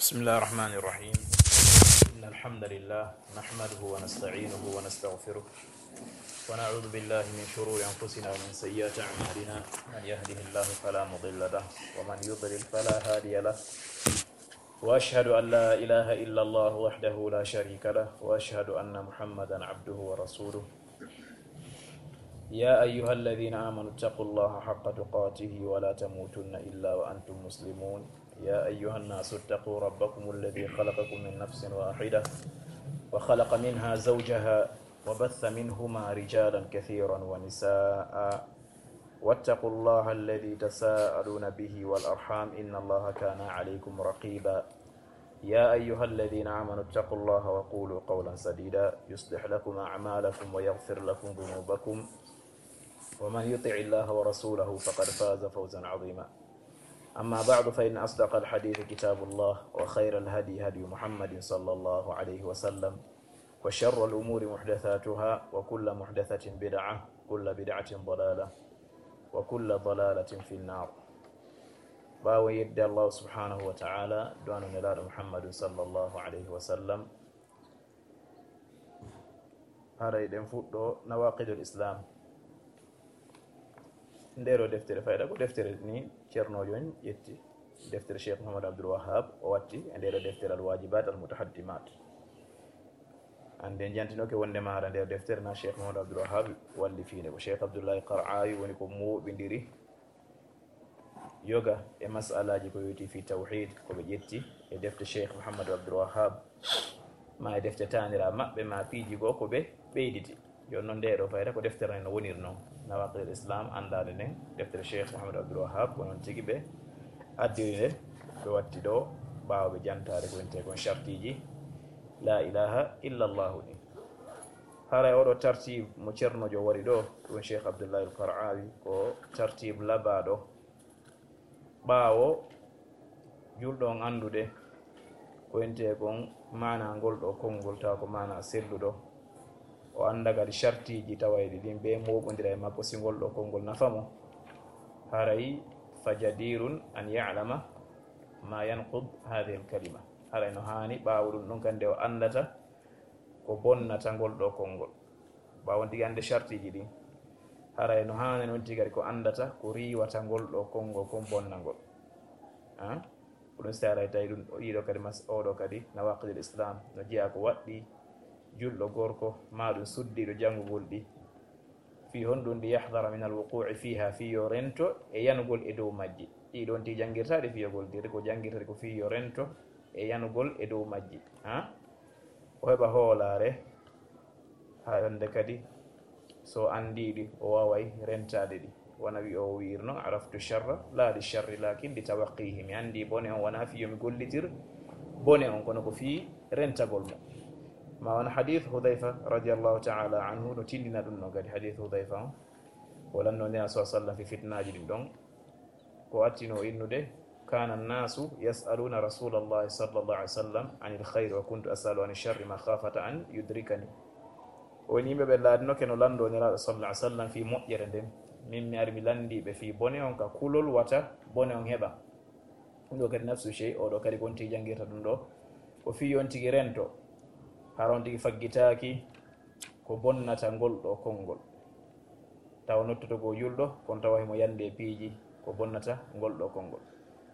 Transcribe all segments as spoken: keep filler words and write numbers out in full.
بسم الله الرحمن الرحيم. إن الحمد لله نحمده ونستعينه ونستغفره، ونعوذ بالله من شرور أنفسنا ومن سيئات أعمالنا. من يهده الله فلا مضل له، ومن يضلل فلا هادي له. وأشهد أن لا إله إلا الله وحده لا شريك له، وأشهد أن محمدا عبده ورسوله. يا أيها الذين آمنوا اتقوا الله حق تقاته ولا تموتن إلا وأنتم مسلمون. يا أيها الناس اتقوا ربكم الذي خلقكم من نفس واحدة وخلق منها زوجها وبث منهما رجالا كثيرا ونساء، واتقوا الله الذي تساءلون به والأرحام، إن الله كان عليكم رقيبا. يا أيها الذين آمنوا اتقوا الله وقولوا قولا سديدا، يصلح لكم أعمالكم ويغفر لكم ذنوبكم، ومن يطع الله ورسوله فقد فاز فوزا عظيما. أما بعد، فإن أصدق الحديث كتاب الله، وخير الهدي هدي محمد صلى الله عليه وسلم، وشر الأمور محدثاتها، وكل محدثة بدعة، وكل بدعة ضلالة، وكل ضلالة في النار. Ɓaawo yedde Allah subhanahu wa ta'ala, du'ano Nelaaɗo Muhammadun sallallahu alayhi wa sallam, haray ɗen fuɗɗo Nawaqidul Islam. Ndeero deftere fayda ko deftere ni Ceernoojo on ƴetti, deftere Cheikh Mouhamadou Abdoul Wahhab, o watti e ndeero deftere Al Wajibat Al Mutahaddimat. Annde jantinoke wonde maara ndeero deftere na Cheikh Mouhamadou Abdoul Wahhab wallifinde, ko Cheikh Abdoulaye Qar'awi woni ko mooɓindiri yoga e mas'alaji ko yowitii fi tawhid, ko ɓe ƴetti e defte Cheikh Mouhamadou Abdoul Wahhab, ma e defte taanira maɓɓe, ma piiji goo ko ɓe ɓeyditi. Jooni noon, ndeeɗo fayda ko deftere nden no woniri noon, Nawaqidul Islam, anndaande nden, deftere Cheikh Mouhamadou Abdoul Wahhab, ko noon tigi ɓe addiri nde, ɓe watti ɗo, ɓaawo ɓe jantaade ko wiyetee kon shartiiji la ilaha illa Allahu ɗin. Haray oɗo tartib mo Ceernoojo wari ɗo, ɗum Cheikh Abdoulaye Al Qar'awi, ko tartib labaaɗo. Ɓaawo julɗo on anndude ko wiyetee kon maana ngol ɗo konngol, tawa ko maana selluɗo, o annda kadi shartiiji tawayɗi ɗin, ɓe mooɓondira e makko, si ngol ɗo konngol nafa mo, haray fa jadirun an ya'lama ma yanqud hadhihi al kalima. Haray no haani ɓaawo ɗum ɗon kadi nde o anndata ko bonnata ngol ɗo konngol. Ɓaawo on tigi annde shartiiji ɗin, haray no haani on tigi kadi ko anndata ko riiwata ngol ɗo konngol kon bonnangol. Ah? Ko ɗum si haray tawi ɗum, ɗiɗo kadi mas-, oɗo kadi Nawaqidul Islam no jeyaa ko waɗɗi julɗo gorko, ma ɗum suddiiɗo janngugol ɗi. Fii honɗum? Li yahdara min al wuqu'i fiha, fii yo rento e yanugol e dow majji. Ɗi ɗon tigi janngirtaaɗi fii yo goldir, ko janngirtaaɗi ko fii yo rento e yanugol e dow majji. Ha? O heɓa hoolaare, haa hannde kadi so anndii ɗi, o waaway rentaade ɗi. Wona wi o wi'irno, "Araftu sharra, la li sharri, lakin li tawaqqihi." Mi anndii bone on, wonaa fii yo mi gollitir bone on, kono ko fii rentagol mo. Ma won hadith Hudhayfa radiyallahu ta'ala anhu no tindina ɗum no kadi, hadith Hudhayfa on. O lanno Nelaaɗo sallallahu alaihi wasallam fi fitnaaji ɗin ɗon. Ko attino innude, "Kana nnasu yas'aluna Rasulallahi sallallahu alaihi wasallam anil khayri wa kuntu as'alu ani sharri makhafata an yudrikani." O woni yimɓe ɓe laatinoke no lanndo Nelaaɗo sallallahu alaihi wasallam fii moƴƴere nden. Min mi ari mi lanndii ɓe fii bone on ka kulol wata bone on heɓa. Ɗum ɗo kadi nafsu shey, o ɗo kadi ko on tigi janngirta ɗum ɗo. Ko fii on tigi rento, hara on tigi faggitaaki ko bonnata ngol ɗo konngol. Tawa nottoto ko julɗo, kono tawa himo yande e piiji ko bonnata ngol ɗo konngol.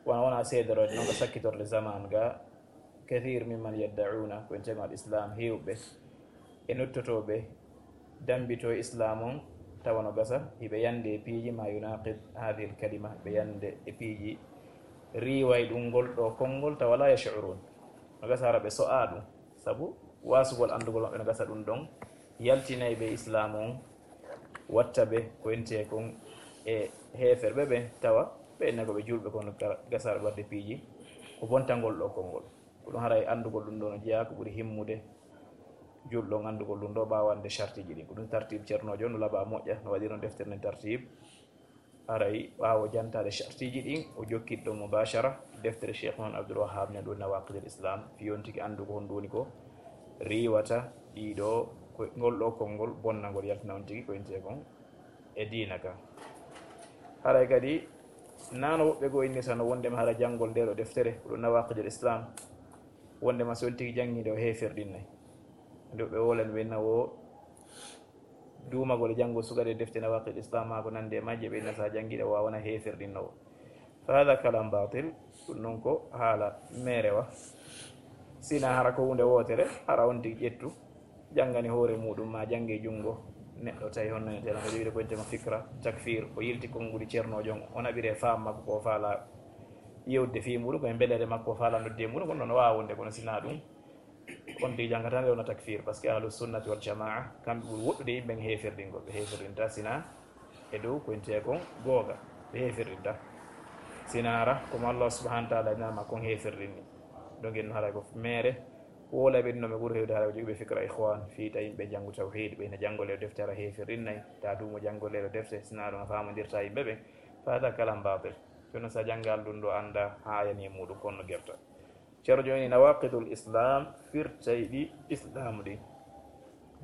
Wona, wona seedorode noon ko sakkitorde zaman ga, kathir mimman yaddauna, ko en tema al islam, heewɓe e nottotooɓe dambito e islam on, tawa no gasa hiɓe yande e piiji ma yunaqid hadhihi al kalima, ɓe yande e piiji riiway ɗum ngol ɗo konngol, tawa la yash'urun. No gasa hara ɓe so'a ɗum, sabu wasugol anndugol maɓɓe no gasa ɗum ɗon yaltinay ɓe islam on, watta ɓe ko entee kon e heeferɓe ɓen, tawa ɓe enna ko ɓe julɓe, kono ka-, gasa hara ɓe wadde piiji ko bonta ngol ɗo konngol. Ko ɗum haray anndugol ɗum ɗo no jeyaa ko ɓuri himmude julɗo on anndugol ɗum ɗo ɓaawo annde shartiiji ɗin. Ko ɗum tartib Ceernoojo no laba moƴƴa, no waɗi ɗon deftere nden tartib. Haray ɓaawo jantaade shartiiji ɗin, o jokkit ɗon mubashara deftere Cheikh Muhammad Abdul Wahhab nden ɗo Nawaqidul Islam, fii on tigi anndu ko honɗum woni ko riiwata ɗiɗo ko-, ngol ɗo konngol bonnangol yaltina on tigi ko entee kon e diina kan. Haray kadi, nano woɓɓe goo innirta no wonde ma hara janngol ndee ɗo deftere, ko ɗum Nawaqidul Islam, wondema so on tigi janngiinde o heeferɗinnay. Nde ɓe wowlani ɓe na o duumagol e janngol sukaɗe defte nawaqid islam maa ko nandi e majje, ɓe na so a janngiiɗe o wawana heeferɗinnowo. Fa hada kalam batil, ɗum noon ko haala meerewa. Sina hara ko huunde wootere, hara on tigi ƴettu, janngani hoore muuɗum, ma jannge junngo neɗɗo tawi honno ne tela ko jogii ko wiyetee ko fikra takfir, o yilti konnguli ceernoojo on, o naɓiri e faam makko ko o faala yewde fii muuɗum, ko e mbeleere makko o faala nodde e muuɗum, kono noon o waawa wonde, kono sina ɗum, on tigi janngata nde wona takfir, parce que ahlu sunnati wal jamaa, kamɓe ɓuri woɗɗude yimɓe e heeferɗingol, ɓe heeferɗinta sina e dow ko wiyetee kon googa, ɓe heeferɗinta. Sina hara, komo Allah subhanahu wa taala inama kon heeferɗinni. Donc, en haray ko meere, wowla ɓe ɗum, ɓe ɓuri heewde haray ko jogii ɓe fikra ikhwan, fii ta yimɓe janngu tawhid, ɓe ina janngole e defte hara heeferɗinnay, ta duumo janngole e defte, sina ɗum a faamondirta yimɓe ɓe, fa hada kalam batil. Kono sa janngal ɗum ɗo annda haa yani e muuɗum, kono gerta. Ceerno jooni nawaqidul islam, firtayɗi islam ɗin.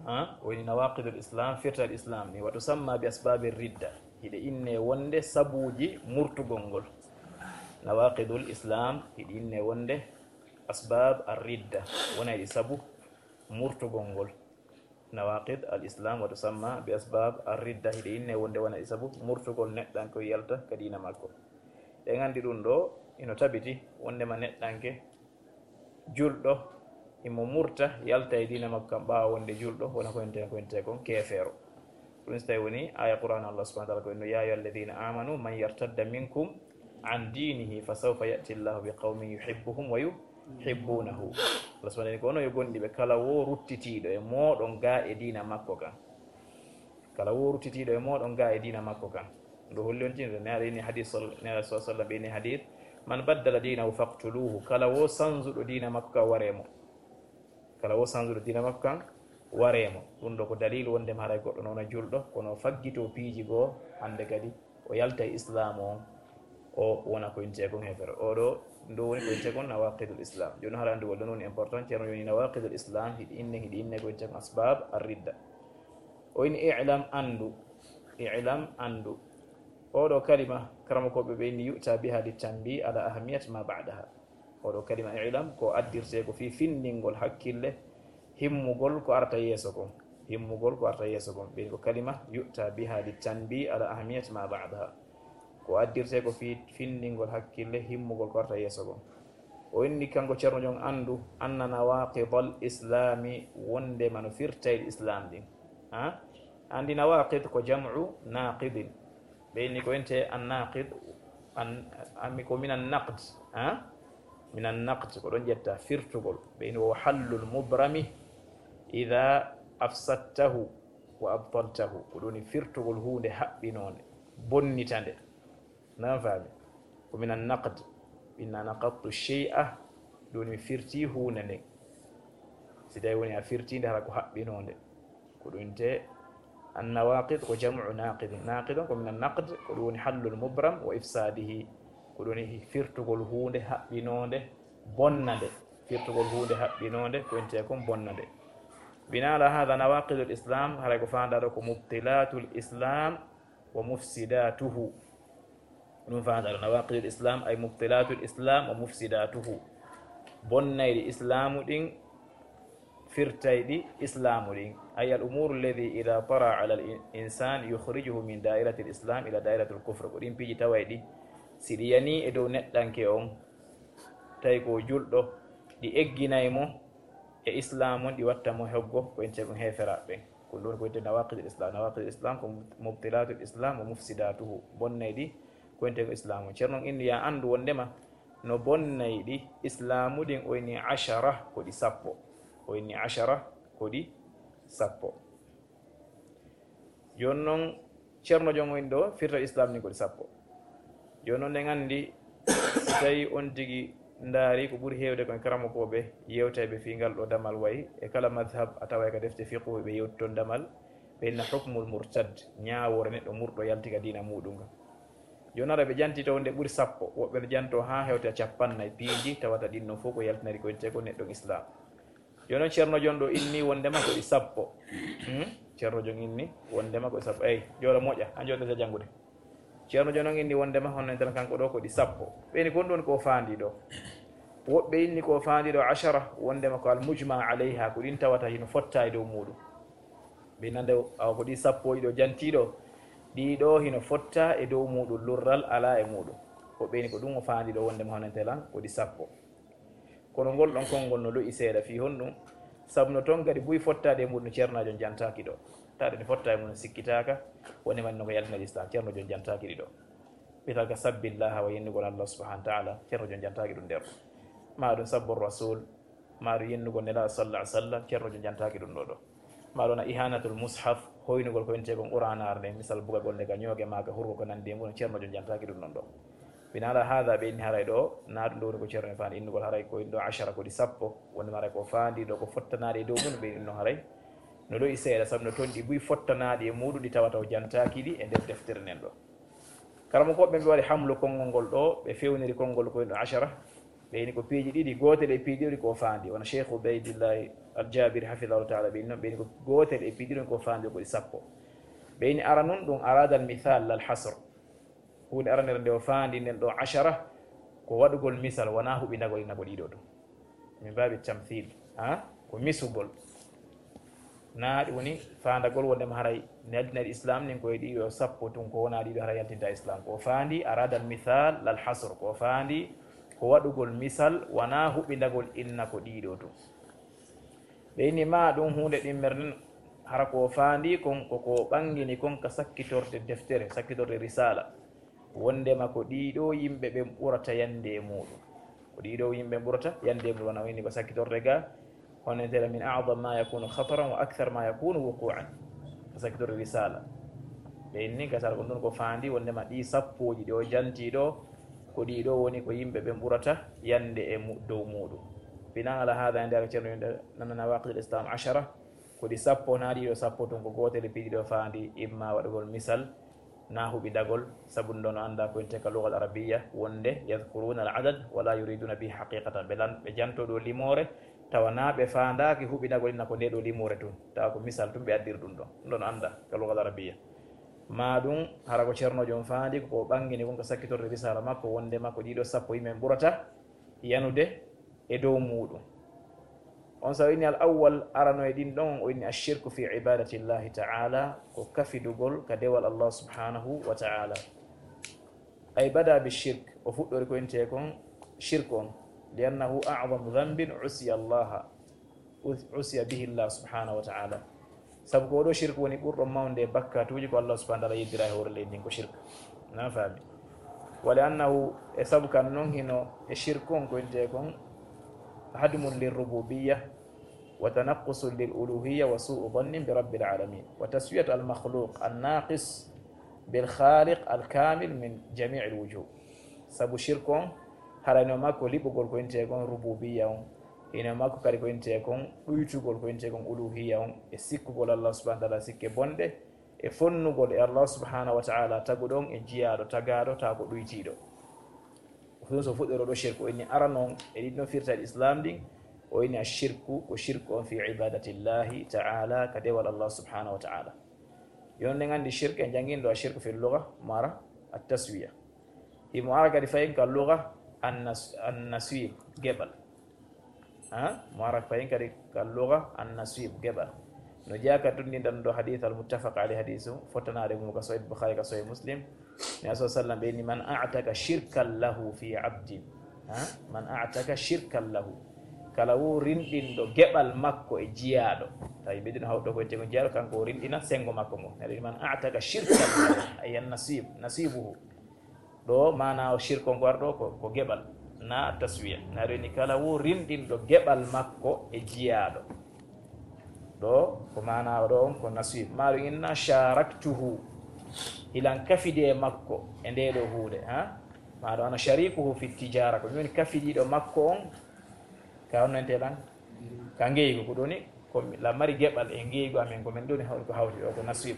Ha? Woni nawaqidul islam, firtayɗi islam ɗin. Wa tusamma bi asbabi ridda. Hiɗe inne wonde sabuuji murtugol ngol. Nawaqidul islam, hiɗe inne wonde asbab ar-ridda. Wona e sabu murtugol ngol. Nawaqid al islam wa tusamma bi asbab ar ridda, hiɗe inne wonde wona e sabu murtugol neɗɗanke o yalta ka diina makko. Ɗen anndi ɗum ɗo ino tabiti wondema neɗɗanke julɗo imo murta yalta e diina makko kan ɓaawo wonde julɗo wona ko enten ko enten kon keefeero. Ɗum so tawi woni aya Qur'an Allah subhanahu wa ta'ala ko inno ya ayyuha alladhina amanu man yartadda minkum an dinihi fa sawfa ya'ti Allahu bi qawmin yuhibbuhum wa yuhibbunahu. Allah subhanahu wa ta'ala ko onon yo gonɗiɓe, kala wo ruttitiiɗo e mooɗon ga e diina makko kan. Kala wo ruttitiiɗo e mooɗon ga e diina makko kan. Ɗo holli on tinde ne aɗa ini hadis sal ne aɗa sallam ɓe ini hadis man baddala dinahu faqtuluhu, kala wo sanzuɗo diina makko kan ware mo. Kala wo sanzuɗo diina makko kan ware mo. Ɗum ɗo ko dalil wondema haray goɗɗo noon a julɗo kono o faggito piiji goo hannde kadi o yalta e islaamu on, o wona ko intee kon heefere. Oɗo ndu woni ko intee kon nawaqidul islam. Jooni hara andu walla noon important ceerno yoni nawaqidul islam hiɗi inne hiɗi inne ko intee kon asbab ar ridda. O ini i'lam andu, i'lam andu. Oɗo kalima karamokoɓe ɓe inni yu'ta biha li tanbi ala ahamiyat ma ba'daha. Oɗo kalima i'lam ko addirte ko fii findingol hakkille himmugol ko arata yeeso kon. Himmugol ko arata yeeso kon. Ɓen ko kalima yu'ta biha li tanbi ala ahamiyat ma ba'daha. Ko addirte ko fii findingol hakkille himmugol ko arata yeeso kon. O inni kanko ceerno jon andu anna nawaqidal islami wondema no firtayɗi islam ɗin. Ha? Andi nawaqid ko jam'u naqidin. Ɓe inni ko ente annaqid, an, an, ko minan naqd, ha? Minan naqd, ko ɗon ƴetta firtugol. Ɓe inni wo hallul mubrami ida afsadtahu wa abtaltahu. Ko ɗum woni firtugol huunde haɓɓinoonde, bonnita nde. Nan faami? Ko minan naqd. Inna naqadtu shay'a, ɗum woni mi firti huunde nden. Si tawi woni a firti nde hara ko haɓɓinoonde. Ko ɗum te annawaqid ko jam'u naqidin. Naqidun ko minan naqd, ko ɗum woni hallul mubram wa ifsadihi. Ko ɗum woni firtugol huunde haɓɓinoonde, bonna nde. Firtugol huunde haɓɓinoonde, ko intee kon bonna nde. Bina ala hada nawaqidul islam, haray ko faandaa ɗo ko mubtilatul islam wa mufsidatuhu. Ɗum faandaa ɗo nawaqidul islam ay mubtilatul islam wa mufsidatuhu. Bonnayɗi islaamu ɗin firtayɗi islaamu ɗin. Ay al umuru alladi ida tara ala al in- insan yukhrijuhu min dairati al islam ila dairati al kufr. Ko ɗin piiji tawayɗi si ɗi yani e dow neɗɗanke on, tawi ko julɗo, ɗi egginay mo e islaamu on, ɗi watta mo hoggo ko intee kon heeferaaɓe ɓen. Ko ɗum ko wiyetee nawaqidul islam. Nawaqidul islam ko mubtilatul islam wa mufsidatuhu. Bonnayɗi ko intee kon islaamu. Ceerno on inni ya andu wondema no bonnayɗi islaamu ɗin o inni ashara ko ɗi sappo. O inni ashara ko ɗi sappo. Jooni noon ceerno jon o inni ɗo firta islam ɗin ko ɗi sappo. Jooni noon en anndi si tawi on tigi ndaari ko ɓuri heewde kon karamokooɓe yewtayɓe fii ngal ɗo damal wayi e kala madhab a taway ka defte fiqhu ɓe yewti ton damal ɓe inna hukmul murtad, ñaawoore neɗɗo murɗo yalti ka diina muuɗum ka. Jooni ara ɓe janti to nde ɓuri sappo, woɓɓe no janto haa hewta cappannayi piiji tawata ɗin non fof ko yaltinari ko intee kon neɗɗo islam. Jooni noon ceerno jon ɗo inni wondema ko ɗi sappo. Hmm? Ceerno jon inni wondema ko ɗi sappo. Eyi, joola moƴƴa, a jooɗata janngude. Ceerno jon on inni wondema honno en tan kanko ɗo ko ɗi sappo. Ɓeyni kon ɗon ko faandi ɗo. Woɓɓe inni ko faandiiɗo ashara, wondema ko al mujma alayha, ko ɗin tawata hino fotta e dow muuɗum. Ɓe nande awa ko ɗi sappo ɗiɗo jantiiɗo, ɗiɗo hino fotta e dow muuɗum, lurral alaa e muuɗum. Woɓɓe inni ko ɗum o faandiiɗo, wondema honante lan ko ɗi sappo. Kono ngol ɗon konngol no lo'i seeɗa fii honɗum? Sabu no ton kadi buy fottaade e muuɗum, Ceerno Jon jantaaki ɗo. Taade ne fotta e muuɗum, sikkitaaka, woni man no ko yaltina Islam, Ceerno Jon jantaaki ɗi ɗo. Ɓital ka sabbillaha wa yennugol Allah subhanahu wa ta'ala, Ceerno Jon jantaaki ɗum nder. Maa ɗum sabbu Rasul, maa ɗum yennugol Nelaaɗo sallallahu alaihi wasallam, Ceerno Jon jantaaki ɗum ɗo ɗo. Maa ɗum na ihanatul mushaf, hoynugol ko wiyetee kon Qur'aanaare nden, misal bugagol nde ka ñooge maa ka hurgo ko nandi e muuɗum, Ceerno Jon jantaaki ɗum ɗon ɗo. Binaala haada ɓe inni haray ɗo, naa ɗum ɗo woni ko Ceerno en faani innugol haray ko inno ashara ko ɗi sappo, woni haray ko faandi ɗo ko fottanaade e dow mum ɓe inno haray. No lo'i seeɗa, sabu no ton ɗi buy fottanaaɗi e muuɗum ɗi tawata o jantaaki ɗi e nder deftere nden ɗo. Karamokooɓe ɓe waɗi hamlu konngol ngol ɗo, ɓe fewniri konngol ko inno ashara, ɓe ini ko piiji ɗiɗi, gootel e piiji ɗiɗi ko faandi, wona Cheikh Ubaydillahi Al-Jabiri hafidahullahu ta'ala, ɓe ini noon, ɓe ini ko gootel e piiji ɗiɗi ko faandi ko ɗi sappo. Ɓe ini aranun ɗum arada al misal lal hasr. Huunde aranere nde o faandi nden ɗo ashara, ko waɗugol misal, wonaa huɓindagol ina ko ɗiɗo ɗum. Min baabi tamthil, ha? Ko misugol. Naa ɗum woni faandagol wondema haray neldi neldi Islam nin ko e ɗiɗo sappo tun ko wonaa ɗiɗo haray yaltinta Islam. Ko faandi arada al misal lal hasr. Ko faandi ko waɗugol misal, wonaa huɓindagol inna ko ɗiɗo tun. Ɓe inni ma ɗum huunde ɗimmere nden, hara ko faandi kon, ko ko ɓangini kon ka sakkitorde deftere, sakkitorde risala. Wondema ko ɗiɗo yimɓe ɓen ɓurata yande e muuɗum. Ko ɗiɗo yimɓe ɓurata yande e muuɗum, wona o inni ko sakkitorde ga, honentela min a'zam ma yakunu khataran wa akthar ma yakunu wuqu'an. Ko sakkitorde risala. Ɓe inni gasara ko ndun ko faandi, wondema ɗi sappooji ɗi o janti ɗo, ko ɗiɗo woni ko yimɓe ɓen ɓurata yande e mu-, dow muuɗum. Binan ala hada, e nder Ceerno yimɓe nana nawaqidul Islam ashara, ko ɗi sappo, naa ɗiɗo sappo tun, ko gootel e piiji ɗo faandi, imma waɗugol misal, naa huɓindagol, sabu ɗum ɗo no anndaa ko wiyetee ka lugal arabiya, wonde yadhkuruna al adad wa la yuriduna bihi haqiqatan. Ɓe lan-, ɓe janto ɗo limoore, tawa naa ɓe faandaaki huɓindagol inna ko nde ɗo limoore tun, tawa ko misal tun ɓe addiri ɗum ɗon. Ɗum ɗo no anndaa ka lugal arabiya. Maa ɗum, hara ko Ceerno Jon faandi, ko ɓangini kon ka sakkitorde risala makko, wondema ko ɗiɗo sappo yimɓe ɓurata yanude e dow muuɗum. On sa o inni al awwal, arano e ɗin ɗon, o inni ashirku fi ibadati Llahi ta'ala, ko kafidugol ka dewal Allah subhanahu wa ta'ala. Ay bada bi shirk, o fuɗɗori ko wiyetee kon shirk on, li annahu a'zamu dhanbin usiya Allaha, us-, usiya bihi Allah subhanahu wa ta'ala. Sabu ko oɗo shirk woni ɓurɗo mawnude e bakkatuuji ko Allah subhanahu wa ta'ala yeddira e hoore leydi ndin ko shirk. Na faami? Wa li annahu, e sabu kan non hino e shirk on ko wiyetee kon hadmun lir rububiyya wa tanaqqusun lil uluhiyya wa su'u dhannin bi rabbil alamin wa taswiyatu al makhluq an naqis bil khaliq al kamil min jami'il wujuh. Sabu shirk on, harayno makko liɓugol ko wiyetee kon rububiyya on, ina makko kadi ko wiyetee kon ɗuytugol ko wiyetee kon uluhiyya on, e sikkugol Allah subhanahu wa ta'ala sikke bonɗe, e fonnugol e Allah subhanahu wa ta'ala taguɗo on e jiyaaɗo tagaaɗo, taa ko ɗuytiiɗo. Ɗum so fuɗɗoro ɗo shirku, o inni arano on e ɗin ɗon firtaaɗi Islam ɗin, o inni ashirku, ko shirku on fi ibadatillahi ta'ala, ka dewal Allah subhanahu wa ta'ala. Yon ɗen anndi shirk, en jannginɗo ashirku fil lugha, mo ara at taswiya. Himo ara kadi fayin ka lugha an nas-, an naswib, geɓal. Ha? Mo ara fayin kadi ka lugha an naswib, geɓal. No jeyaa ka tunndinɗan ɗo hadith al muttafaq alayhi, hadithu fottanaade mo ka Sahih Bukhari, ka Sahih Muslim. Nabi sallallahu alaihi wasallam ɓe inni, "Man a'taka shirkan lahu fi abdin." Ha? "Man a'taka shirkan lahu." Kala wo rinɗinɗo geɓal makko e jiyaaɗo. Tawi ɓe ɗino hawto ko wiyetee kon jiyaaɗo, kanko o rinɗina senngo makko ngo. Nabi, "Man a'taka shirkan lahu." Ay an nasib, nasibuhu. Ɗo maana o shirk on ko arɗo ko, ko geɓal, na taswiya. Na reni kala wo rinɗinɗo geɓal makko e jiyaaɗo. Ɗo ko maana o ɗo on ko naswib. Maaɗum inna sharaktuhu. Hilan kafidi e makko e nde ɗo huude, ha? Maaɗum ana sharikuhu fi tijara. Ko min kafidiiɗo makko on. Ka honno ente lan? Ka ngeygu. Ko ɗoni, ko la mari geɓal e ngeygu amen. Ko min ɗoni haw-, ko hawti ɗo, ko naswib.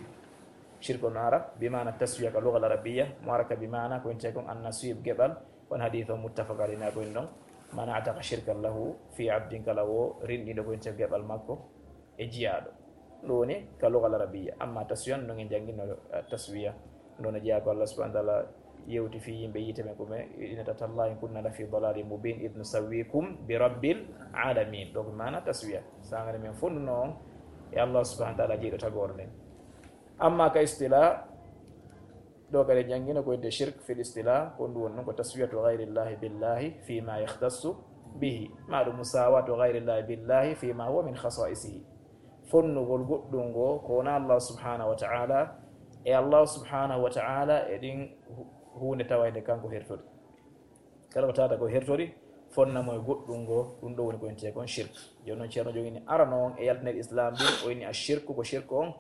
Shirk on ara, bi maana taswiya ka lugal arabiyya. Mo ara ka bi maana ko ente kon an naswib geɓal. On hadith on muttafaq alayhi na ko en ɗon. Man a'taka shirkan lahu fi abdin, kala wo rinɗiɗo ko en geɓal makko e jiyaaɗo. Ɗum woni ka lugal arabiyya. Amma taswiya on, non en janngino, eh, taswiya. Ɗum no jeyaa ko Allah subhanahu wa ta'ala yewti fii yimɓe yiite ɓen, ko ɓe inata: "Tallahi in kunna la fi dalalin mubin id nusawwikum bi rabbil alamin." Ɗo ko maana taswiya. Sangare men fonduno on e Allah subhanahu wa ta'ala jeyɗo tagore nden. Amma ka istila, ɗo kadi janngino ko wi'etee shirk fil istila, ko ɗum woni ɗum ko taswiyatu ghayrillahi billahi fi ma yakhtassu bihi, ma ɗum musawatu ghayrillahi billahi fi ma huwa min khasa'isihi. Fonnugol goɗɗum ngo ko wona Allah subhanahu wa ta'ala, e Allah subhanahu wa ta'ala e ɗin hu-, huunde tawayde kanko hertori. Kala ko tawata ko hertori, fonna mo e goɗɗum ngo, ɗum ɗo woni ko wi'etee kon shirk. Jooni noon, Ceerno jogini arano on e yaltinere Islam ɗin, o inni ashirku, ko shirku on,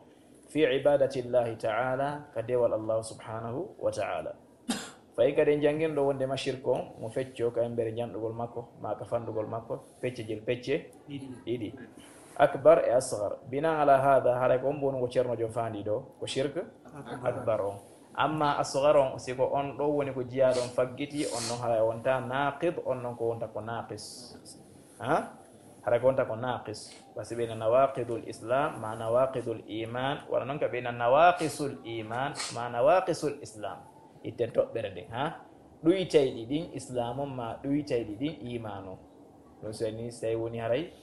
fi ibadatillahi ta'ala, ka dewal Allah subhanahu wa ta'ala. Fayi kadi en janngino ɗo wonde ma shirku on, mo fecco ka embere janɗugol makko, ma ka fandugol makko, pecce jel pecce ɗiɗi. Akbar e asghar. Binan ala hada, haray ko on mbonu ko Ceerno jom faandi ɗo, ko shirk akbar on. Amma asghar on, si ko on ɗo woni ko jiyaaɗo on faggiti, on non haray wonta naqid, on non ko wonta ko naqis. Ha? Haray ko wonta ko naqis. Parce que ɓe nawaqidul islam, ma nawaqidul iman, wala non ka ɓe na nawaqisul iman, ma nawaqisul islam. Itten toɓɓere nden, ha? Ɗuytayɗi ɗin islam on, ma ɗuytayɗi ɗin iman on. Ɗum so ni, so tawi woni haray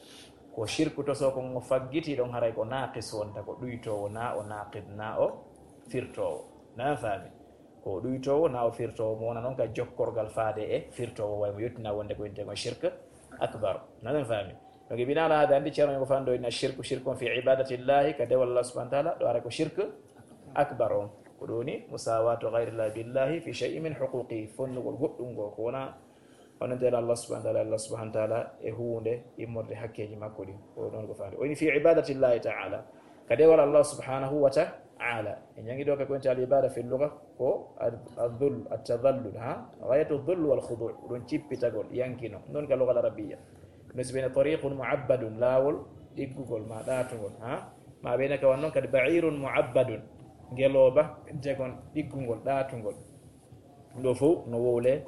ko shirku toso ko ngo faggiti ɗon, haray ko naqis wonta, ko ɗuytoowo, na o naqid, na o firtoowo. Na faami? Ko ɗuytoowo, na o firtoowo, mo wona noon ka jokkorgal faade e firtoowo, way mo yettina wonde ko wi'etee ko shirk akbar. Na faami? Donc, bina ala hada, andi Ceerno ko fando ina shirku, shirkun fi ibadatillahi, ka dewal Allah subhanahu wa ta'ala, ɗo ara ko shirk akbar on. Ko ɗum woni musawatu ghayrillahi billahi fi shay'in min huquqihi, fonnugol goɗɗum ngo, ko wona Onon teela Allah subhanahu wa ta'ala, Allah subhanahu wa ta'ala e huunde immorde hakkeeji makko ɗin. Ko noon ko faandi. O ini fi ibadatillahi ta'ala. Ka dewal Allah subhanahu wa ta'ala. En jangi ɗo ka ko wonte al ibada fil lugha ko ad-, adh-dhull, at-tadhallul, ha? Ghayatu dhull wal khudu'. Ɗum cippitagol, yankino. Noon ka lugha al arabiyya. No si bene tariqun mu'abbadun, laawol ɗiggugol ma ɗaatugol, ha? Ma bene ka wan noon kadi ba'irun mu'abbadun. Ngelooba, jagon ɗiggugol, ɗaatugol. Ɗo fof no wowle,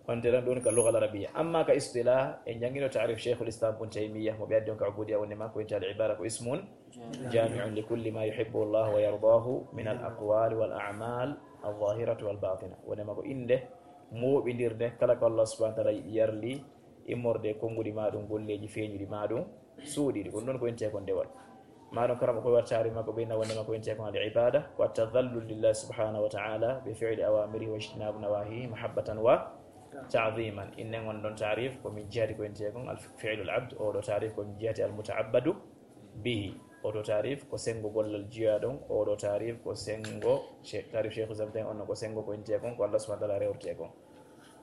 wonte tan ɗum ka lugal arabiya. Amma ka istilah, en jangino taarif Sheikhul Islam Ibn Taymiyyah, mo ɓe addi on ka ubudiya, wonde ma ko inta al ibada ko ismun jami'un li kulli ma yuhibbu Allah wa yardahu min al aqwali wal a'mal al zahirati wal batina. Wonde ma ko inde mooɓindirde kala ko Allah subhanahu wa ta'ala yiɗi yarli, immorde e konnguɗi ma ɗum, golleeji feeñuɗi ma ɗum, suuɗiiɗi. Ko ɗum ɗon ko intee kon dewal. Ma ɗum karama ko wartaari makko ɓeyna wonde makko intee kon al ibada, ko at-tadhallul lillahi subhanahu wa ta'ala bi fi'li awamirihi wa ijtinabu nawahihi mahabbatan wa ta'dhiman. Innen on ɗon taarif ko min jihati ko intee kon al fi'lul abd, o ɗo taarif ko min jihati al muta'abbadu bihi. Oto taarif ko senngo gollal jiyaaɗon, oɗo taarif ko senngo she-, taarif Sheikh Islam tawi on ko senngo ko intee kon ko Allah subhanahu wa ta'ala rewrete kon.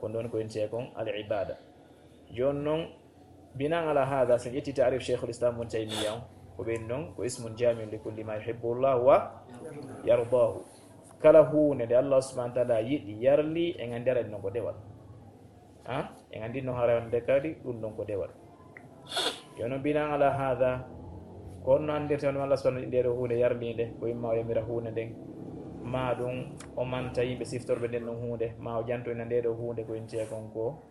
Ko ɗon ko intee kon al ibada. Jooni noon, binan ala hada, so en ƴetti taarif Sheikhul Islam Ibn Taymiyyah on, ko ɓen ɗon ko ismun jami'un li kulli ma yuhibbu Allah wa yardahu. Kala huunde nde Allah subhanahu wa ta'ala yiɗi, yarli, en anndi ara ɗum ko dewal. Ha? En anndi no hara wonde kadi ɗum ɗon ko dewal. Yo noon, binan ala hada, ko honno anndirte hono Allah subhanahu wa ta'ala nde ɗo huunde yarliinde, ko imma o yamira huunde nden, ma ɗum o manta yimɓe siftorɓe nden ɗon huunde, ma o jantoyna nde ɗo huunde ko intee kon ko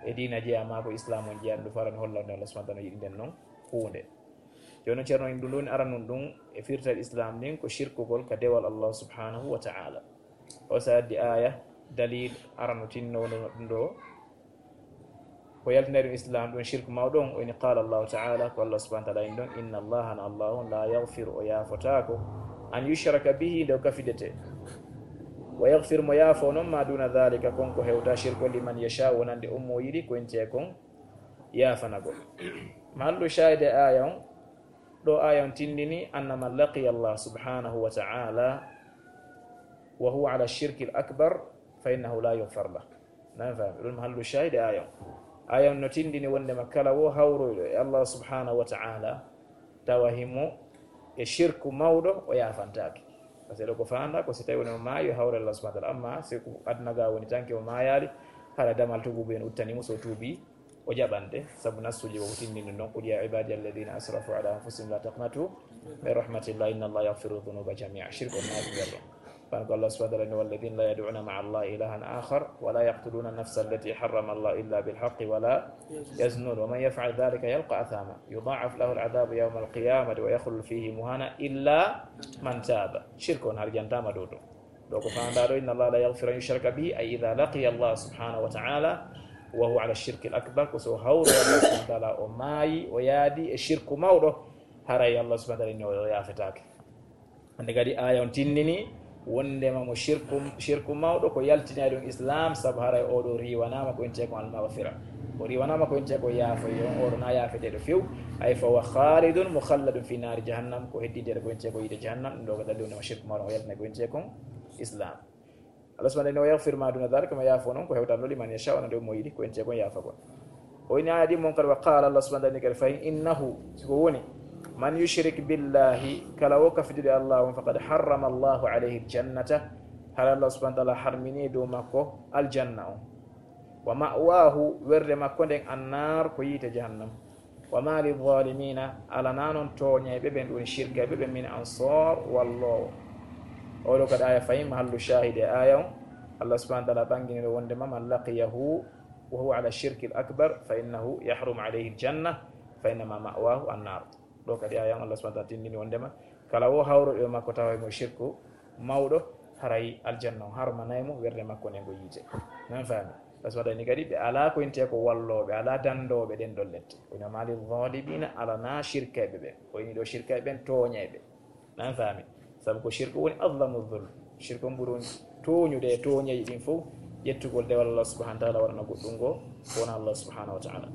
e diina jeyaa ma ko Islam on jeyaa, ɗum farani hollande Allah subhanahu wa ta'ala yiɗi nden non huunde. Jooni Ceerno, en ɗum ɗon aranun ɗum e firtal Islam ndin ko shirkugol ka dewal Allah subhanahu wa ta'ala. O sa addi aya, dalil, arano tinno ɗum ɗo. Ko yaltinay ɗum Islam ɗum shirku mawɗo on, o ini qala Allahu ta'ala, ko Allah subhanahu wa ta'ala in ɗon, inna Allaha, na Allah on, la yaghfiru, o yaafotaako, an yushraka bihi, nde o kafidete. Wa yaghfiru, mo yaafo noon, ma duna dhalika, kon ko hewta shirku, liman yasha, wonande on mo yiɗi, ko intee kon yaafanagol. Mahallu shahide aya on, ɗo aya on tindini, anna man laqiya Allah subhanahu wa ta'ala wa huwa ala shirki al akbar, fa innahu la yughfar lah. Nan fami, ɗum mahallu shahide aya on. Aya on no tindini wondema kala wo hawroyɗo e Allah subhanahu wa ta'ala, tawa himo e shirku mawɗo, o yaafantaake. Parce que ɗo ko fanda ko si tawi woni o maayi, o hawre Allah subhanahu wa ta'ala. Amma si ko aduna ga woni tanke o maayaali, hara damal tuubu en uttani mo, so tuubi, o jaɓante, sabu nassuuji ko tindini ɗum ɗon, "Qul ya ibadiya alladhina asrafu ala anfusihim la taqnatu min rahmatillah, inna Allah yaghfiru dhunuba jami'a." Shirku on naati nder ɗon. Kan ko Allah subhanahu wa ta'ala ni, "Walladhina la yad'una ma'a Allah ilahan akhar, wa la yaqtuluna an-nafsa allati harrama Allah illa bil haqqi, wa la yaznun, wa man yaf'al dhalika yalqa athama, yudha'af lahu al-adhabu yawma al-qiyamati, wa yakhlud fihi muhana, illa man taba." Shirku on har jantama ɗo ɗo. Ɗo ko faandaa ɗo, inna Allah la yaghfiru an yushraka bihi, ay idha laqiya Allah subhanahu wa ta'ala wa huwa ala shirki al akbar, ko so hawro Allah subhanahu wa ta'ala o maayi, o yaadi e shirku mawɗo, haray Allah subhanahu wa ta'ala inni o yaafetaake. Hannde kadi aaya on tindini wondema mo shirku, shirku mawɗo ko yaltinay ɗum Islam, sabu haray oɗo riiwanaama ko intee kon almaghfira. O riiwanaama ko intee ko yaafoy on, oɗo na yaafeteeɗo few. Ay fa huwa khalidun mukhalladun fi naari jahannam, ko heddideeɗo ko intee ko yiite jahannam, ɗum ɗo ko dalil wondema shirku mawɗo o yaltinay ko intee kon Islam. Allah subhanahu wa ta'ala inni wa yaghfir ma duna dhalika, ma yaafo non ko hewtan ɗo liman yasha, wona nde mo yiɗi, ko intee kon yaafa kon. O inni aaya ɗi mon kadi, wa qala, Allah subhanahu wa ta'ala kadi fayin, innahu, si ko woni, man yushrik billahi, kala wo kafidude Allah on, faqad harrama Allahu alayhi aljannata, hara Allah subhanahu wa ta'ala harmini dow makko aljanna on. Wa ma'wahu, werde makko nden annar ko yiite jahannam. Wa ma lilzalimina, alana non tooñayɓe ɓen, ɗum woni shirkayɓe ɓen, min ansar, walloowo. Oɗo kadi aaya fayin mahallu shahid e aaya on, Allah subhanahu wa ta'ala ɓangini ɗo wondema man laqiyahu wa huwa ala shirki al akbar fa innahu yahrumu alayhi aljanna fa innama ma'wahu annar. Ɗo kadi aaya on Allah subhanahu wa ta'ala tindini wondema kala wo hawruɗo e makko tawa mo shirku mawɗo, haray aljanna on harmanay mo, werde makko nden ko yiite. Nan faami? Allah subhanahu wa ta'ala ni kadi ɓe ala ko intee ko wallooɓe, ala dandooɓe ɗen ɗon lette. O inni wa ma lilzalimina, alana shirkayɓe ɓen. O inni ɗo shirkayɓe ɓen tooñayɓe. Nan faami? Sabu ko shirku woni azlamu zulm. Shirku on ɓuri on tooñude e tooñeeji ɗin fow, ƴettugol dewal Allah subhanahu wa ta'ala waɗana goɗɗum goo ko wona Allah subhanahu wa ta'ala.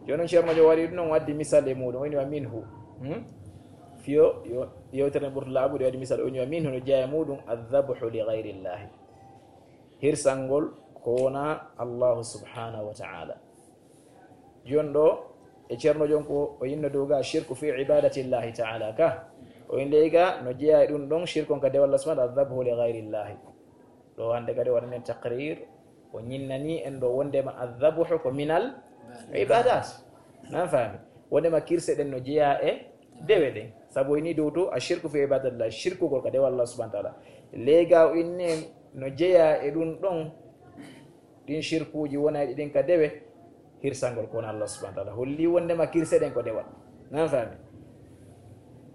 Jooni on Ceerno Joom waɗi ɗum, on waddi misal e muɗum, o inni wa minhu. Hmm? Fiyo yo yewtere nden ɓurta laaɓude, waɗi misal, o inni wa minhu, no jeyaa e muɗum, adhabhu li ghayrillahi. Hirsangol ko wona Allahu subhanahu wa ta'ala. Jooni ɗo e Ceerno Joom ko o inni dow ga shirku fi ibadatillahi ta'ala ka. O inni ley ga no jeyaa e ɗum ɗon shirku on ka dewal Allah subhanahu wa ta'ala, adhabhu li ghayrillahi. Ɗo hannde kadi waɗanen taqrir, o ñinnani en ɗo wondema adhabhu ko minal ibadat. Nan faami? Wondema kirse ɗen no jeyaa e dewe ɗen. Sabu o inni dow to, ashirku fi ibadatillah, shirkugol ka dewal Allah subhanahu wa ta'ala. Ley ga o inni en no jeyaa e ɗum ɗon, ɗin shirkuuji wonayɗi ɗin ka dewe, hirsangol ko wona Allah subhanahu wa ta'ala. Holli wondema kirse ɗen ko dewal. Nan faami?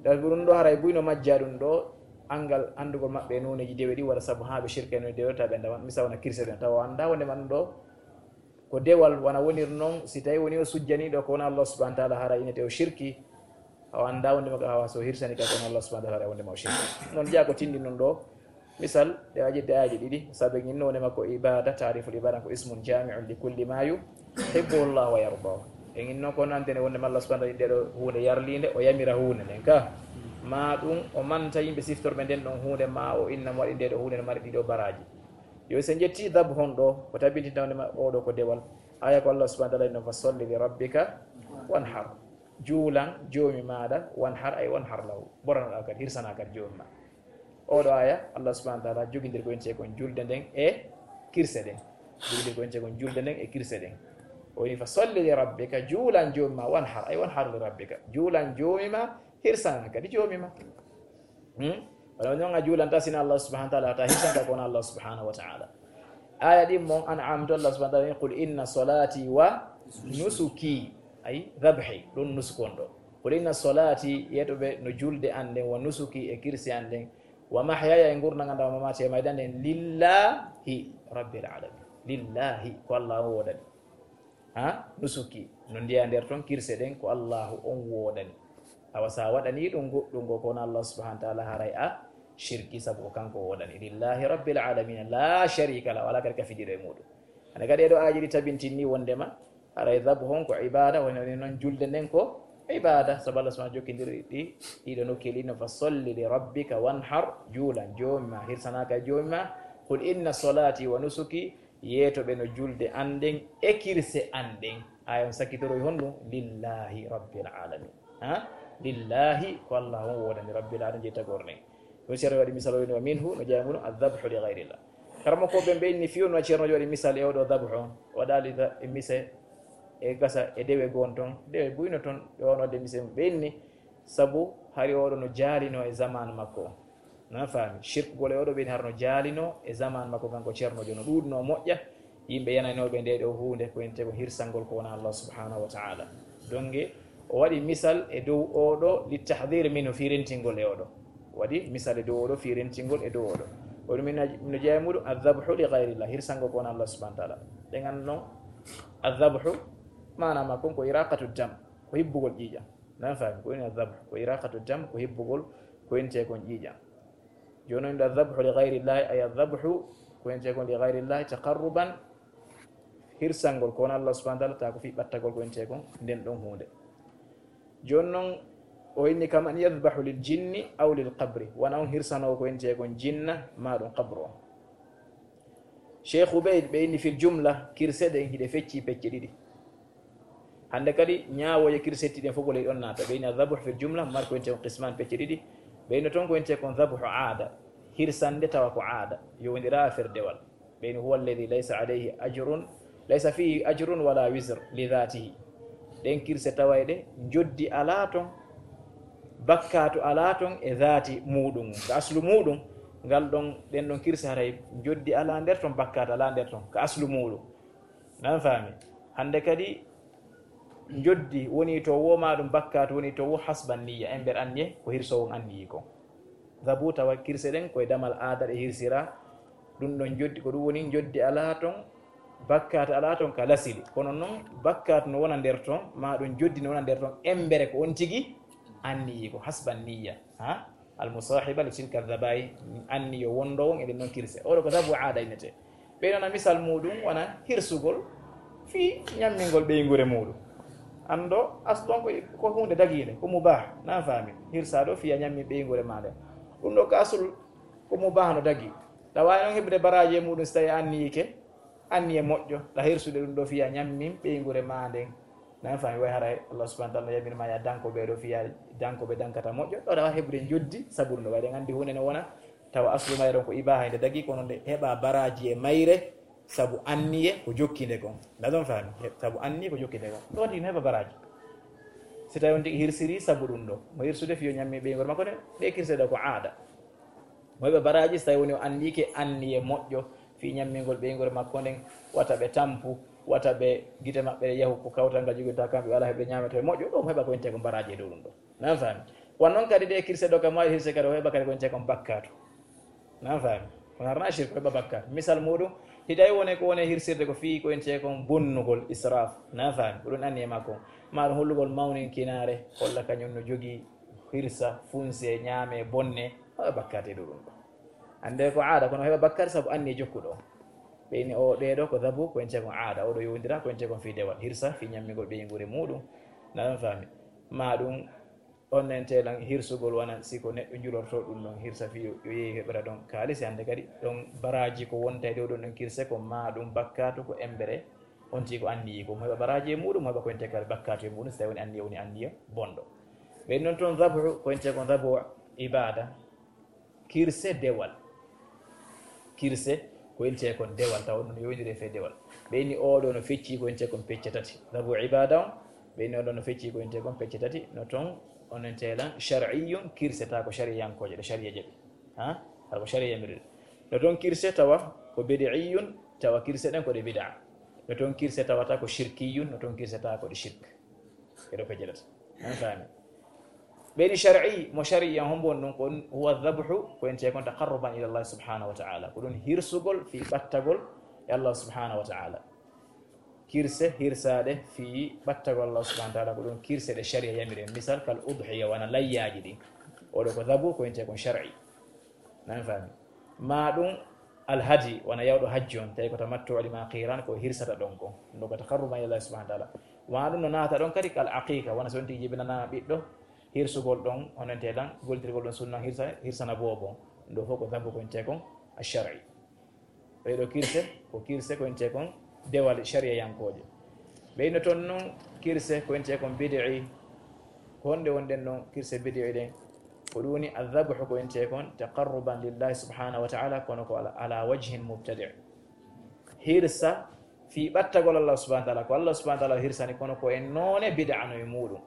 Tawi ko ɗum ɗo haray buy no majja ɗum ɗo, angal anndugol maɓɓe e nooneeji dewe ɗi waɗa sabu haa ɓe shirka e nooneeji dewe, tawa ɓe ndawan, misal wona kirse ɗen, tawa o annda wondema ɗum ɗo ko dewal, wona wonir non, si tawi woni o sujjani ɗo ko wona Allah subhanahu wa ta'ala, haray inete o shirki, o annda wondema ka hawa so hirsani ka ko wona Allah subhanahu wa ta'ala, haray wondema o shirki. Non jeyaa ko tindi non ɗo, misal, ɗe waɗi aayeeji ɗiɗi, sabu en inno wonema ko ibada, ta'riful ibada ko ismun jami'un li kulli ma yuhibbuhu Allah wa yardahu. En inno ko nantene wondema Allah subhanahu wa ta'ala ɗeɗo huunde yarliinde, o yamira huunde nden ka. Ma ɗum o manta yimɓe siftorɓe nden ɗon huunde, ma o inna mo waɗi ndeɗo huunde no mari ɗiɗo baraaji. Yo sen ƴetti dhabhu on ɗo, ko tabintinta wondema oɗo ko dewal. Aaya ko Allah subhanahu wa ta'ala inno, fa salli li rabbika wanhar. Juulan joomi maaɗa, wanhar, ay wanhar lahu. Boranoɗa kadi, hirsana kadi joomi ma. Oɗo aaya, Allah subhanahu wa ta'ala jogindir ko intee kon julde nden e kirse ɗen. Jogindir ko intee kon julde nden e kirse ɗen. O inni, fa salli li rabbika, juulan joomi ma, wanhar, ay wanhar li rabbika. Juulan joomi ma, hirsana kadi joomi ma. Hmm? Wala non a juulanta sina Allah subhanahu wa ta'ala, ta hirsanta ko wona Allah subhanahu wa ta'ala. Aaya ɗin mon An'am to Allah subhanahu wa ta'ala, qul inna salati wa nusuki, ay dhabhi, ɗum nusuk on ɗo. Qul inna salati, yeeto ɓe no julde an nden, wa nusuki e kirse an nden, wa mahyaya e ngurndan an, wa mamati e mayde an nden, lillahi rabbil alamin. Lillahi, ko Allah on woodani. Ha? Nusuki, no ndeya nder ton kirse ɗen ko Allahu on woodani. Awa sa waɗani ɗum goɗɗum goo ko wona Allah subhanahu wa ta'ala, haray a shirki, sabu ko kanko woodani. Lillahi rabbil alamin, la sharika lah, wala kadi kafidiiɗo e muɗum. Hande kadi e ɗo aaji ɗi tabintinni wondema haray dhabhu on ko ibada, woni, woni non julde nden ko ibada, sabu Allah subhanahu jokkindiri ɗi, ɗiɗo nokkeeli no, fa salli li rabbika wanhar, juulan joomi ma, hirsana ka joomi ma, qul inna salati wa nusuki, yeeto ɓe no julde an nden e kirse an ɗen. Aaya on sakkitoroy honɗum? Lillahi rabbil alamin. Ha? Lillahi, ko Allah on woodani, rabbil alamin, jey tagore nden. Ɗum Ceerno waɗi misal o woni wa minhu, no jeyaa e muɗum, adhabhu li ghayrillah. Karamoko ɓen ɓe inni fiyo no Ceerno waɗi misal e oɗo dhabhu on. Waɗali da-, e mise e gasa e dewe gon ton, dewe buyno ton, ɓe wonode mise ɓe inni, sabu hari oɗo no jaalino e zaman makko. Na faami? Shirkugol e oɗo ɓeni har no jaalino e zaman makko, kanko Ceerno Joom, no ɗuuɗuno moƴƴa yimɓe yananooɓe nde ɗo huunde, ko wiyetee ko hirsangol ko wona Allah subhanahu wa ta'ala. Donge o waɗi misal e dow oɗo li tahdhir minhu, fii rentingol e oɗo. O waɗi misal e dow oɗo fii rentingol e dow oɗo. Ko ɗum min no jeeya muɗum, adhabhu li ghayrillah, hirsangol ko wona Allah subhanahu wa taala. Ɗen anndi non, adhabhu, maana makko ko iraqatu dam, ko hibbugol ƴiiƴam. Nan faami, ko woni adhabhu, ko iraqatu dam, ko hibbugol ko wiyetee kon ƴiiƴam. Jooni non, adhabhu li ghayrillahi, ay adhabhu ko wiyetee kon li ghayrillahi, taqarruban, hirsangol ko wona Allah subhanahu wa taala, taa ko fii ɓattagol ko wiyetee kon nden ɗon huunde. Jooni non, o inni kam an yadhbahu lil jinni aw lil qabri, wona on hirsanoowo ko wiyetee kon jinna, maa ɗum qabru on. Cheikh Ubayd, ɓe inni fil jumla, kirse ɗen hiɗe feccii pecce ɗiɗi. Hannde kadi, ñaawooje kirsetti ɗen fof ko ley ɗon naata. Ɓe inni adhabuh fil jumla, mari ko wiyetee kon qisman, pecce ɗiɗi. Ɓe inni ton ko wiyetee kon dhabuhu aada, hirsande tawa ko aada, yowondira affaire dewal. Ɓe inni huwa alladhi laysa alayhi ajrun, laysa fihi ajrun wala wizr li dhatihi. Ɗen kirse tawayɗe njoddi alaa ton, bakkaatu alaa ton e dhaati muuɗum, ka aslu muuɗum, ngal ɗon, ɗen ɗon kirse haray njoddi alaa nder ton, bakkaatu alaa nder ton, ka aslu muuɗum. Nan faami? Hannde kadi, njoddi woni to woo, maa ɗum bakkaatu woni to woo, hasban niyya, embere anniye, ko hirsoowo on anniyi kon. Dhabu, tawa kirse ɗen ko e damal aada ɗe hirsira, ɗum ɗon njoddi, ko ɗum woni njoddi alaa ton, bakkaatu alaa ton ka lasili. Kono non, bakkaatu no wona nder ton, maa ɗum njoddi no wona nder ton, embere ko on tigi anniyi kon, hasban niyya. Ha? Al musahiba li tilka dhabaih, anniyo wondoowo on e ɗen non kirse. Oɗo ko dhabu aada innetee. Ɓe nana misal muuɗum wona hirsugol fii ñammingol ɓeynguure muuɗum. Anndo, aslu on ko, ko huunde dagiinde, ko mubah, nan faami. Hirsaa ɗoo fii a ñammi ɓeynguure maa nden. Ɗum ɗoo ka aslu ko mubah, no dagii. Ɗa waawi non heɓude baraaji e muuɗum si tawii a anniyike, anniye moƴƴo, ɗa hirsude ɗum ɗoo fii a ñammin ɓeynguure maa nden. Nan faami, way haray Allah subhanahu wa taala no yamir ma ya danko ɓee ɗoo fii ya danko ɓe dankata moƴƴo. Ɗoo ɗa waawi heɓude njoddi sabu ɗum ɗoo. Way ɗen anndi huunde no wona, tawa aslu mayre on ko ibaha, nde dagii, kono nde heɓa baraaji e mayre sabu anniye ko jokki nde kon. Nda ɗon faami? He-, sabu anniye ko jokki nde kon. Ɗoo tigi no heɓa baraaji. Si tawii on tigi hirsiri sabu ɗum ɗoo. Mo hirsude fii yo ñammi ɓeynguure makko nde, ɗee kirse ɗoo ko aada. Mo heɓa baraaji si tawii woni o anniyike anniye moƴƴo fii ñammingol ɓeynguure makko nden, wata ɓe tampu, wata ɓe gite maɓɓe yahu ko kawtal ngal joginta kamɓe, ɓe alaa heɓude ñaametee moƴƴo, ɗoo mo heɓa ko wiyetee kon baraaji e dow ɗum ɗoo. Nan faami? Wano non kadi ɗee kirse ɗoo kam, maayo hirse kadi o heɓa kadi ko wiyetee kon bakkaatu. Nan faami? Kono harna shirk, o heɓa bakkaatu. Misal muuɗum, si tawii woni ko woni hirsirde ko fii ko wiyetee kon bonnugol, israf. Nan faami? Ko ɗum anniye makko. Maa ɗum hollugol mawninkinaare, holla kañum no jogii hirsa, funse, ñaame, bonne, o heɓa bakkaatu e dow ɗum ɗoo. Annde ko aada, kono o heɓa bakkaatu sabu anniye jokkuɗo. Ɓe inni o, ɗee ɗoo ko dhabu, ko wiyetee kon aada. Oɗo yowondira, ko wiyetee kon fii dewal. Hirsa, fii ñammingol ɓeynguure muuɗum. Nan faami? Maa ɗum, on nen teelan hirsugol wona si ko neɗɗo njulortoo ɗum ɗon, hirsa fii yo, yo yehi heɓira ɗon kaalisi. Hannde kadi, ɗon baraaji ko wonta e dow ɗon ɗon kirse, ko maa ɗum bakkaatu, ko embere, on tigi ko anniyi, ko mo heɓa baraaji e muuɗum, mo heɓa ko wiyetee kadi bakkaatu e muuɗum, si tawii woni anniye, woni anniye bonɗo. Ɓe non toon dhabu, ko wiyetee kon dhabu ibaada, kirse dewal. Kirse ko wiyetee kon dewal, tawa ɗum no yowondiri e fee dewal. Ɓe inni oo ɗoo no feccii ko wiyetee kon pecce tati. Dhabu ibaada on, ɓe inni oo ɗoo no feccii ko wiyetee kon pecce tati, no toon onon teelan shar'iyyun, kirse tawa ko shariyankooje, ɗe shariya jaɓi. Ha? Hara ko shariya yamiri. No toon kirse tawa ko bid'iyyun, tawa kirse ɗen ko ɗe bid'a. No toon kirse tawata ko shirkiyyun, no toon kirse tawa ko ɗe shirk. Eɗo pejjata. An faami? Ɓe inni shar'i, mo shari'i en hombo on ɗum, kon huwa dhabhu, ko wiyetee kon taqarruban ila Allah subhanahu wa ta'ala. Ko ɗum hirsugol fii ɓattagol e Allah subhanahu wa ta'ala. Kirse hirsaaɗe fii ɓattagol Allah subhanahu wa ta'ala, ko ɗum kirse ɗe shari'a yamiri en. Misal, kal udhiya, wona layyaaji ɗin. Oɗo ko dhabu, ko wiyetee kon shar'i. Nan faami? Maa ɗum alhadi, wona yawɗo hajji on, tawi ko tamattu waɗi maa qiran, ko hirsata ɗon kon. Ɗum ko taqarruban ila Allah subhanahu wa ta'ala. Maa ɗum no naata ɗon kadi kal aqiqa, wona so on tigi jibinanaama ɓiɗɗo, hirsugol ɗon, onon teelan, gollitirgol ɗon sunna hirsa-, hirsana boobo. Ɗum ɗoo fof ko dhabu ko wiyetee kon ash-shar'i. Ɗee ɗoo kirse, ko kirse ko wiyetee kon dewal shariyankooje. Ɓe inno toon non kirse ko wiyetee kon bid'i. Ko honɗe wonɗen non kirse bid'i ɗen? Ko ɗum woni adhabhu ko wiyetee kon taqarruban lillahi subhanahu wa ta'ala, kono ko ala, ala wajhin mubtadi'. Hirsa fii ɓattagol Allah subhanahu wa ta'ala, ko Allah subhanahu wa ta'ala hirsani, kono ko e noone bid'a no e muuɗum.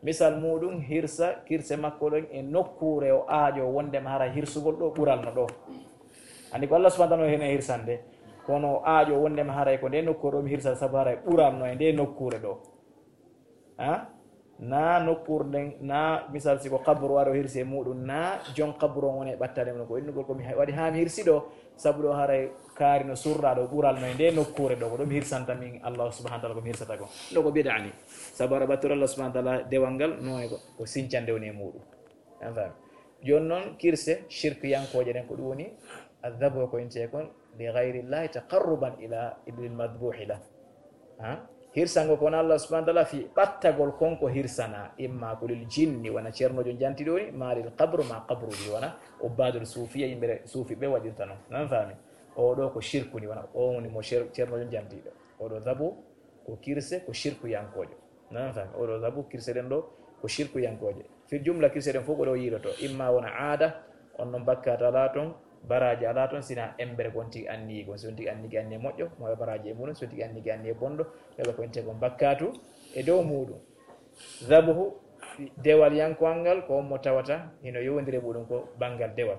Misal muuɗum, hirsa kirse makko ɗon e nokkuure o aaƴo wondema hara hirsugol ɗoo ɓural no ɗoo. Anndi ko Allah subhanahu wa ta'ala no hene hirsande, kono o aaƴo wondema haray ko ndee nokkuure ɗoo mi hirsata sabu haray ɓural no e ndee nokkuure ɗoo. Ha? Na nokkuure nden, na misal si ko qabru waɗo hirsi e muɗum, na jon qabru on woni e ɓattane mum. Ko innugol ko mi ha-, waɗi haa mi hirsi ɗo, sabu ɗo haray kaari no surra ɗo ɓural no e nde nokkuure ɗo, ko ɗum hirsanta min Allah subhanahu wa ta'ala ko mi hirsata ko. Ɗo ko bid'a ni. Sabu ara ɓattude Allah subhanahu wa ta'ala dewal ngal, no e ko, ko sincande woni e muɗum. An faami? Jooni noon, kirse, shirkiyankooje ɗen, ko ɗum woni adhabu ko intee kon, li ghayri llahi taqarruban ila, lil madbuhi la. Ha? Hirsango kon Allah subhanahu wa ta'ala fi ɓattagol kon ko hirsana, imma ko lil jinni, wona ceernoojo janti ɗo ni, ma lil qabru, ma qabruji, wona ubbadul sufiya, yimɓe suufi ɓe waɗirta noon. Nan faami? O ɗo ko shirku ni, wona o woni mo cer-, ceernoojo jantiiɗo. O ɗo zabu ko kirse, ko shirkuyankoojo. Nan faami? O ɗo zabu kirse ɗen ɗo ko shirkuyankooje. Fil jumla kirse ɗen fof ko ɗo yiiloto. Imma wona aada, on noon bakkaatu alaa toon, baraaji alaa toon, sina embere ko on tigi anniyi kon. Si on tigi anniyi anniye moƴƴo, mo heɓa baraaji e muɗum, si on tigi anniyi anniye bonɗo, heɓa ko intee kon bakkaatu e dow muɗum. Zabuhu, dewal yankowal ngal, ko on mo tawata hino yowondiri e muɗum ko banngal dewal.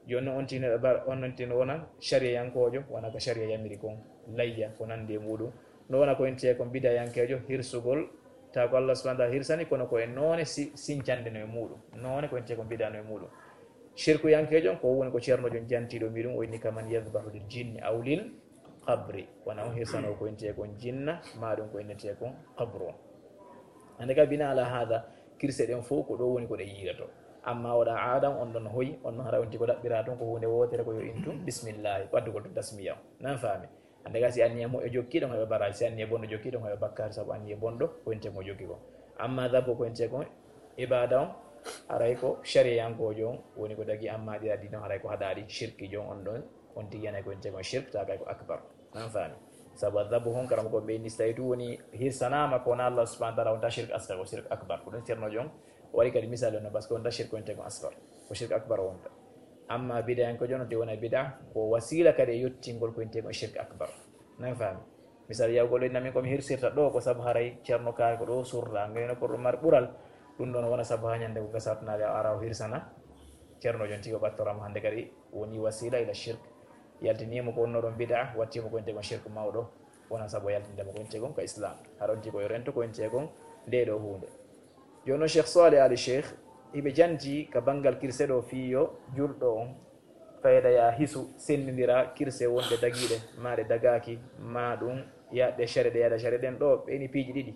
Jooni noon on tigi no bar-, on non tigi no wona shariyayankoojo, wona ko shariya yamiri kon, layya, ko nanndi e muɗum. No wona ko intee kon bidayankeejo, hirsugol, tawa ko Allah subhanahu wa ta'ala hirsani, kono ko e noone si-, sincande no e muɗum. Noone ko intee kon bida no e muɗum. Shirkuyankeejo on, ko woni ko ceernoojo jantiiɗo mi ɗum, o inni kaman yadhbahu lil jinni aw lil qabri. Wona on hirsano ko intee kon jinna, ma ɗum ko innetee kon qabru on. Hannde ka bina ala hada, kirse ɗen fof ko ɗo woni ko ɗe yiiloto. Amma oɗa aadam on ɗon hoyi, on ɗon hara on tigi ko ɗaɓɓira toon ko huunde wootere ko yo intu, bismillahi, waddugol to tasmiya. Nan faami? Hannde ka si anniya moƴƴo jokki ɗon heɓa baraaji, si anniya bonɗo jokki ɗon heɓa bakkaatu sabu anniya bonɗo ko intee mo jokki kon. Amma zabu ko intee kon ibada on, haray ko shariyankoojo on woni ko dagi, amma ɗi addi ɗon haray ko haɗaɗi shirkijo on, on ɗon on tigi yanay ko intee kon shirk, ta kay ko akbar. Nan faami? Sabu adhabu hon karam ko ɓe inni, si tawi tun woni hirsanaama ko wona Allah subhanahu wa ta'ala, wonta shirk asghar, ko shirk akbar. Ko ɗum ceernoojo on o waɗi kadi misali on, parce que wonta shirk ko intee kon asghar. Ko shirk akbar wonta. Amma bid'ayankeejo on te wona bid'a, ko wasiila kadi e yottingol ko intee kon shirk akbar. Nan faami? Misal yawgol en, min ko mi hirsirta ɗo ko sabu haray ceerno kaari ko ɗo surra, ngayno ko ɗum mari ɓural. Ɗum ɗon wona sabu haa ñande ko gasatnaade a ara o hirsana. Ceernoojo on tigi o ɓattorama hannde kadi woni wasiila ila shirk. Yaltiniimo ko wonno ɗon bid'a, wattiimo ko intee kon shirk mawɗo. Wona sabu o yaltinde mo ko intee kon ka Islam. Haɗa on tigi ko yo rento ko intee kon nde ɗo huunde. Jooni noon Cheikh Saleh Ali Cheikh, hiɓe janti ka banngal kirse ɗo fii yo julɗo on fayda ya hisu, senndindira kirse wonɗe dagiiɗe, ma ɗe dagaaki, ma ɗum yaɗɗe shari'a, ɗe yaɗa shari'a ɗen ɗo, ɓe ni piiji ɗiɗi.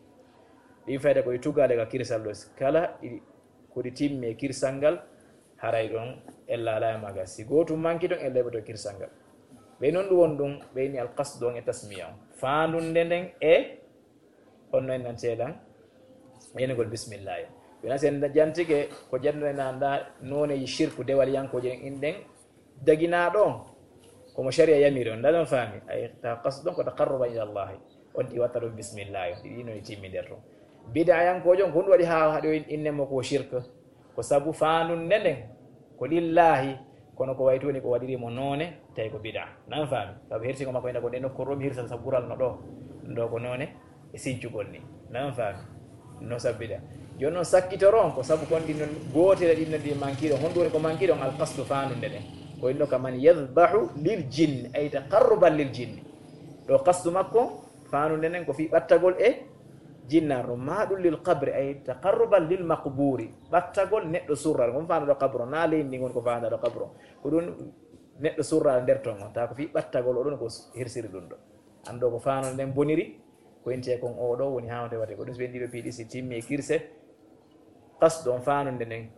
Ɗin fayda ko ɗi tugaale ka kirsal ɗo. Kala ɗi, ko ɗi timmi e kirsal ngal, haray ɗon ella alaa e maaga. Si gootum manki ɗon, ella heɓoto kirsal ngal. Ɓe non ɗum won ɗum, ɓe ni alqasdu on e tasmiya on. Faandunde nden e on no en nan ceelan, yenugol bismillahi. Wona sen jantike ko janno en anda nooneji shirku dewal yankooje en ɗen daginaaɗo on, komo shari'a yamiri on, ndaɗon faami, ay ta qasdu on ko taqarruban ila Allahi, on ɗi watta ɗum bismillahi, on ɗi ɗino e timmi nder ton. Bid'a yankoojo on, ko ɗum waɗi haa haɗo in-, inne mo ko shirk, ko sabu faandunde nden ko lillahi, kono ko wayti woni ko waɗiri mo noone, tawi ko bid'a. Nan faami? Sabu hirsingo makko ina ko nde nokkuure ɗo mi hirsata sabu ɓural no ɗo. Ɗo ko noone e sincugol ni. Nan faami? No sabu bid'a. Jooni noon sakkitoro on ko sabu kon ɗin non gootel e ɗin non ɗi manki ɗon. Honɗum woni ko manki ɗon? Alqasdu faandunde nden. Ko inno ka man yadhbahu lil jinni, ay taqarruban lil jinni. Ɗo qasdu makko faandunde nden ko fii ɓattagol e jinnaaro, ma ɗum lil qabri, ay taqarruban lil maqburi, ɓattagol neɗɗo surral, ngon faandaɗo qabru, na leydi ndi ngon ko faandaɗo qabru, ko ɗum neɗɗo surral nder ton on, ta ko fii ɓattagol, o ɗon ko hirsiri ɗum ɗo. An ɗo ko faandude nden boniri, ko intee kon o ɗo woni haawde waɗde, ko ɗum so ɓe ɗiɗo piiɗi si timmi e kirse, qasdu on faandude nden,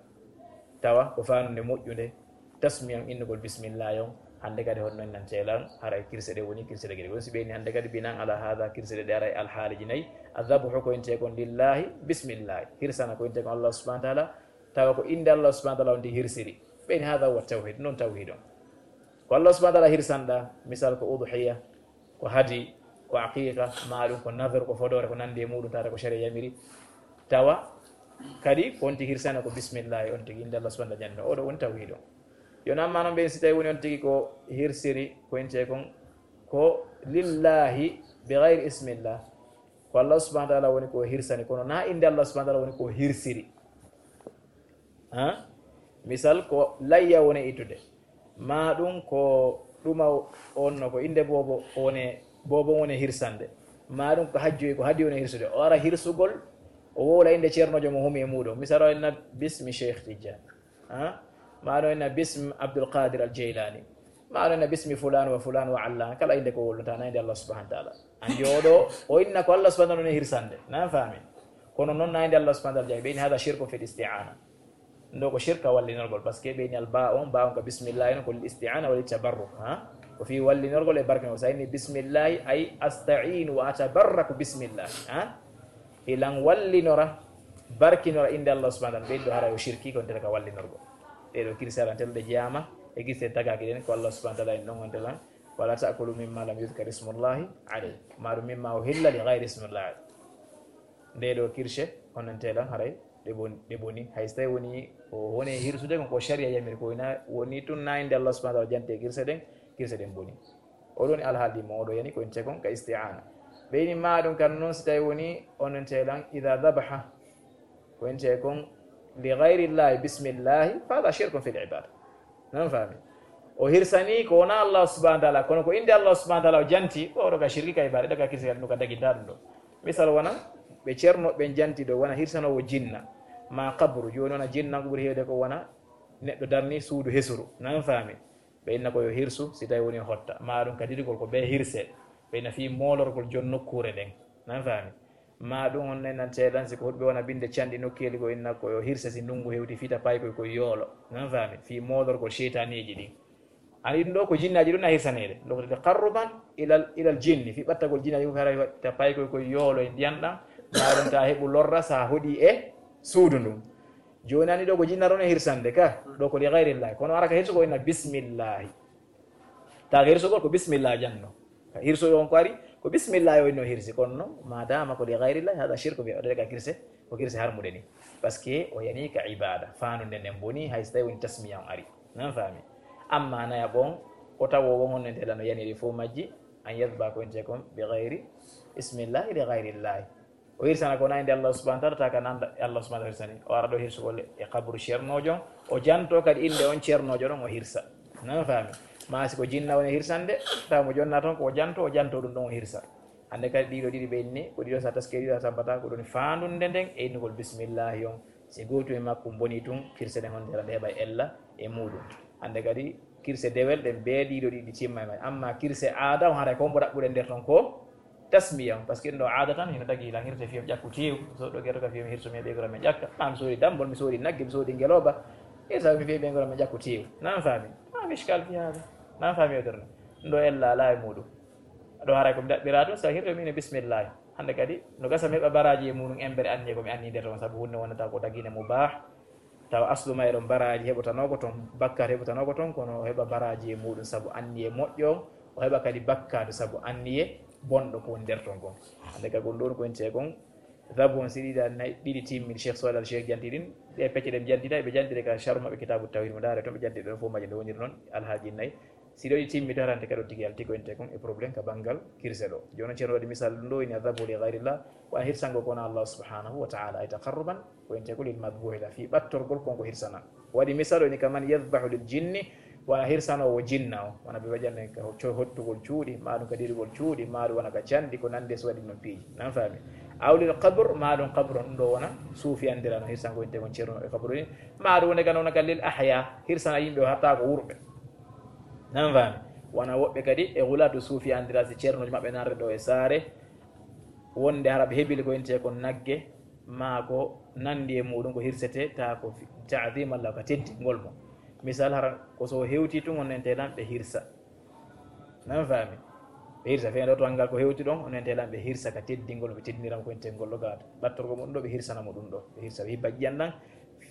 tawa ko faandude moƴƴunde, tasmiya on innugol bismillah on, hannde kadi hono non nan ceelan, haray kirse ɗe woni kirse ɗe gere. Ɗum si ɓeyni hannde kadi binan ala hada kirse ɗe, ɗe aray alhaaliji nayi, adhabuhu ko intee kon lillahi, bismillah, hirsana ko intee kon Allah subhanahu wa ta'ala, tawa ko innde Allah subhanahu wa ta'ala on tigi hirsiri. Ɓeyni hada huwa tawhid, non tawhid on. Ko Allah subhanahu wa ta'ala hirsanɗa, misal ko udhiya, ko hadi, ko aqiqa, ma ɗum ko nadhar, ko fodoore, ko nandi e muɗum, tata ko shari'a yamiri. Tawa kadi ko on tigi hirsana ko bismillah, on tigi innde Allah subhanahu wa ta'ala janno. Oɗo woni tawhid on. Yo namma non ɓen si tawi woni on tigi ko hirsiri, ko intee kon ko lillahi bi ghayri ismillah. Ko Allah subhanahu wa ta'ala woni ko hirsani, kono na innde Allah subhanahu wa ta'ala woni ko hirsiri. Ha? Misal ko layya woni ittude. Ma ɗum ko ɗuma on no ko innde boobo woni, boobo woni hirsande. Ma ɗum ko hajju ko hadi woni hirsude. O ara hirsugol O wowla innde ceernoojo mo humi e muuɗum. Misal o inna bismi Cheikh Tidiane. Ha? Ma ɗo inna bismi Abdul Qadir Al Jaylani. Ma ɗo inna bismi fulan wa fulan wa allan. Kala innde ko wowlata, na innde Allah subhanahu wa ta'ala. Anndi oɗo, o inna ko Allah subhanahu wa ta'ala woni hirsande. Na faami? Kono noon na innde Allah subhanahu wa ta'ala jaɓi. Ɓe inni hada shirku fil isti'ana. Ɗo ko shirka wallinorgol, parce que ɓe inni al ba on, ba on ka bismillahi, no ko lil isti'ana wa lit tabarruk, ha? Ko fii wallinorgol e barkinol. Sa inni bismillahi, ay asta'inu wa atabarraku bismillahi, ha? Hilan wallinora, barkinora innde Allah subhanahu wa ta'ala, ɓe ɗo haray o shirki ko nder ka wallinorgol. Ɗe ɗo kirse arantel ɗe jeyama e kirse tagaaki ɗen, ko Allah subhanahu wa ta'ala en ɗon on telan, wala ta'kulu mimma lam yudhkar ismullahi alayhi. Ma ɗum mimma uhilla li ghayri ismillahi. Nde ɗo kirse, onon telan haray ɗe bon-, ɗe boni. Hay so tawi woni ko woni hirsude kon ko sharia yamiri, ko ina woni tun na innde Allah subhanahu wa ta'ala jante kirse ɗen, kirse ɗen boni. Oɗo woni alhaali mo oɗo yani ko ente kon ka isti'ana. Ɓe ini ma ɗum kan noon si tawi woni onon telan idha dhabaha. Ko ente kon li ghayri llahi bismillahi, fa hada shirkun fil ibada. Nan faami? O hirsani ko wona Allah subhanahu wa ta'ala, kono ko innde Allah subhanahu wa ta'ala o janti, ko oɗo ka shirki ka ibada, ɗo ka kirsi ɗum ka daginta ɗum ɗo. Misal wona, ɓe ceerno ɓen janti ɗo wona hirsanowo jinna, ma qabru, jooni wona jinna ko ɓuri heewde ko wona neɗɗo darni suudu hesuru. Nan faami? Ɓe inna ko yo hirsu, si tawi woni hotta. Ma ɗum ka didugol ko ɓe hirse. Ɓe inna fii moolorgol jon nokkuure ɗen. Nan faami? Ma ɗum on nan teelan si ko huɗɓe wona binde canɗi nokkeeli ko inna ko yo hirse si ndungu hewti fita paykoy koye yoolo. Nan faami? Fii moolorgol seytaneeji ɗin. Ani ɗum ɗo ko jinnaaji ɗum na hirsaneede. Ɗum ko taqarruban ilal, ilal jinni. Fii ɓattagol jinnaaji ko hara fita paykoy koye yoolo e ndiyan ɗan. Ma ɗum ta heɓu lorra sa hoɗi e suudu ndun. Jooni ani ɗo ko jinna ɗon e hirsande ka, ɗo ko li ghayrillahi. Kono ara ka hirsu ko inna bismillahi. Ta ka hirsu ko, ko bismillah janno. Ka hirsu on ko ari, ko bismillah o inno hirsi. Kono non, ma dama ko li ghayrillahi, hada shirku bi, o ka kirse, ko kirse harmude ni. Parce que o yani ka ibada, fanunde nden boni, hay so tawi woni tasmiya on ari. Nan faami? Amma naya bon, o tawo won honne tela no yaniri fo majji, an yadba ko inte kon, bi ghayri, bismillahi, li ghayrillahi. O hirsana ko na innde Allah subhanahu wa ta'ala, ta ka nanda Allah subhanahu wa ta'ala hirsani. O ara ɗo hirsugol e kaburu ceernoojo, o janto kadi innde on ceernoojo ɗon o hirsa. Nan faami? Ma si ko jinna woni hirsande, taw mo jonna toon ko o janto, o janto ɗum ɗon o hirsa. Hannde kadi ɗiɗo ɗiɗi ɓe inni, ko ɗiɗo sa taske ɗiɗo a tampata, ko ɗum faandunde nden e innugol bismillahi on. Si gootum e makkum boni tun, kirse ɗen honde ɗe heɓa ella e muuɗum. Hannde kadi kirse dewel ɗen bee ɗiɗo ɗiɗi timma e may. Amma kirse aada on haray ko mbo ɗaɓɓuɗen nder ton ko tasmiya on. Parce que ɗo aada tan hino tagi lan hirte fiyam ƴakku teew. So ɗo gerto ka fiyam hirso mi ɓe gora mi ƴakka. An soodi dambol, mi soodi nagge, mi soodi ngeloba. E sa mi fiye ɓe gora mi ƴakku teew. Nan faami? Ma mishkal fi hada. Nan faami o terno. Ɗo ella ala e muuɗum. Ɗo haray ko mi ɗaɓɓira tun sa hirto mi ne bismillah. Hannde kadi no gasa mi heɓa baraji e muuɗum embere anniye ko mi anni nder ton sabu hunde wonata ko dagine mubah. Tawa aslu may ɗon baraaji heɓotanoo ko ton, bakkaatu heɓotanoo ko ton, kono o heɓa baraaji e muuɗum sabu anniye moƴƴo on, o heɓa kadi bakkaatu sabu anniye bonɗo ko woni nder ton kon. Hannde ka kon ɗon ko en tee kon, zabu on si ɗiɗa nay-, ɗiɗi timmi, Cheikh Sohayl Al Cheikh janti ɗin, ɗe pecce ɗe ɓe janti tawi, ɓe janti ɗe ka sharh maɓɓe Kitaabu Tawhid mo ndaare ton, ɓe janti ɗon fof majje nde woniri noon, alhaaji nayi. Si ɗo ɗi timmi darante kadi o tigi yalti ko ente kon e problème ka banngal kirse ɗo. Jooni Ceerno waɗi misal ɗum ɗo ina zabu li ghayrillah, wa hirsango ko wona Allah subhanahu wa ta'ala ay taqarruban ko ente ko lil madbuhi la fi ɓattorgol kon ko hirsana. Waɗi misal o ini kaman yadhbahu lil jinni, wona hirsanowo jinna o, wona ɓe waɗi anne ka co-, hottugol cuuɗi, ma ɗum ka dirigol cuuɗi, ma ɗum wona ka canɗi ko nande so waɗi noon piiji. Nan faami? Aw lil qabr, ma ɗum qabru on ɗo wona suufi andirano hirsango ente kon ceerno e qabru ni, ma ɗum wona ka noon ka lil ahya, hirsana yimɓe o hatta ko wurɓe. Nan faami? Wona woɓɓe kadi e wulatu suufi andira si ceernooji maɓɓe narde ɗo e saare, wonde hara ɓe hebili ko intee kon nagge, maa ko nandi e muuɗum ko hirsete, ta ko fi-, ta'zim Allah ka teddingol mo. Misal hara ko so hewti tun on ente lan ɓe hirsa. Nan faami? Ɓe hirsa feendo to angal ko hewti ɗon, on ente lan ɓe hirsa ka teddingol, ɓe teddinira mo ko intee ngol ɗo gaata. Ɓattorgo mum ɗo ɓe hirsana mo ɗum ɗo. Ɓe hirsa ɓe hibba jiyan ɗan,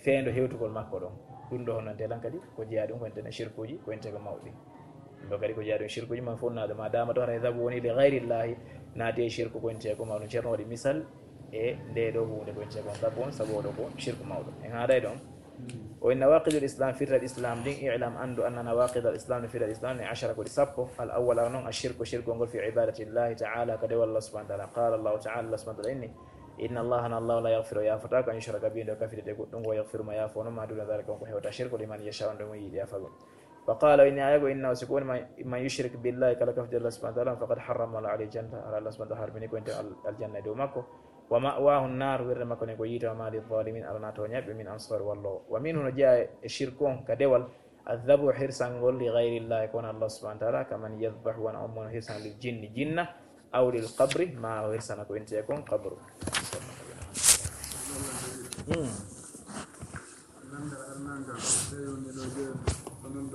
feendo hewtugol makko ɗon. Ɗum ɗo honno ntelan kadi ko jeyaa ɗum ko enten e shirkuuji, ko enten ko mawɗi. Ɗum ɗo kadi ko jeyaa ɗum shirkuuji man fof naɗo ma dama to hara e zabu woni li ghayrillahi, naati e shirku ko enten ko mawɗum. Ceerno waɗi misal e nde ɗo huunde ko enten ko zabu on, sabu oɗo ko shirku mawɗo. En haaɗay ɗon. O inna nawaqidul islam, firtal islam ɗin, i'lam, anndu, anna nawaqidal islam, no firtal islam ni ashara ko ɗi sappo. Al awwal, ara non, ashirku, shirku ngol fi ibadatillahi ta'ala, ka dewal Allah subhanahu wa ta'ala. Qala Allahu ta'ala, Allah subhanahu wa ta'ala inni, Inna Allaha, na Allah, la yaghfiru, o yaafataa ko, an yushraka bihi, nde o kafidete goɗɗum, wa yaghfiru, ma yaafoo noon, ma duna dhalika, on ko hewta shirku, liman yashaa, on ɗo mo yiɗi yaafa ɗum. Wa qala, o inni aya goo, innahu, si ko woni man, man yushrik billahi, kala kafidee Allah subhanahu wa ta'ala, faqad harrama Allahu alayhi jannata, hara Allah subhanahu wa ta'ala harmini ko enten al-, aljanna e dow makko, Wa ma'wahu nnar, wirde makko ne ko yiite, wa ma lil zalimin, alana toñaɓe min ansar wallo. Wa minhu, no jeya e shirku on ka dewal, adhabu, hirsangol, li ghayri llahi, ko wona Allah subhanahu wa ta'ala, kaman yadhbahu, wona on mono hirsana lil jinni, jinna, aw lil qabri, ma o hirsana ko inti e kon qabru. Hmm.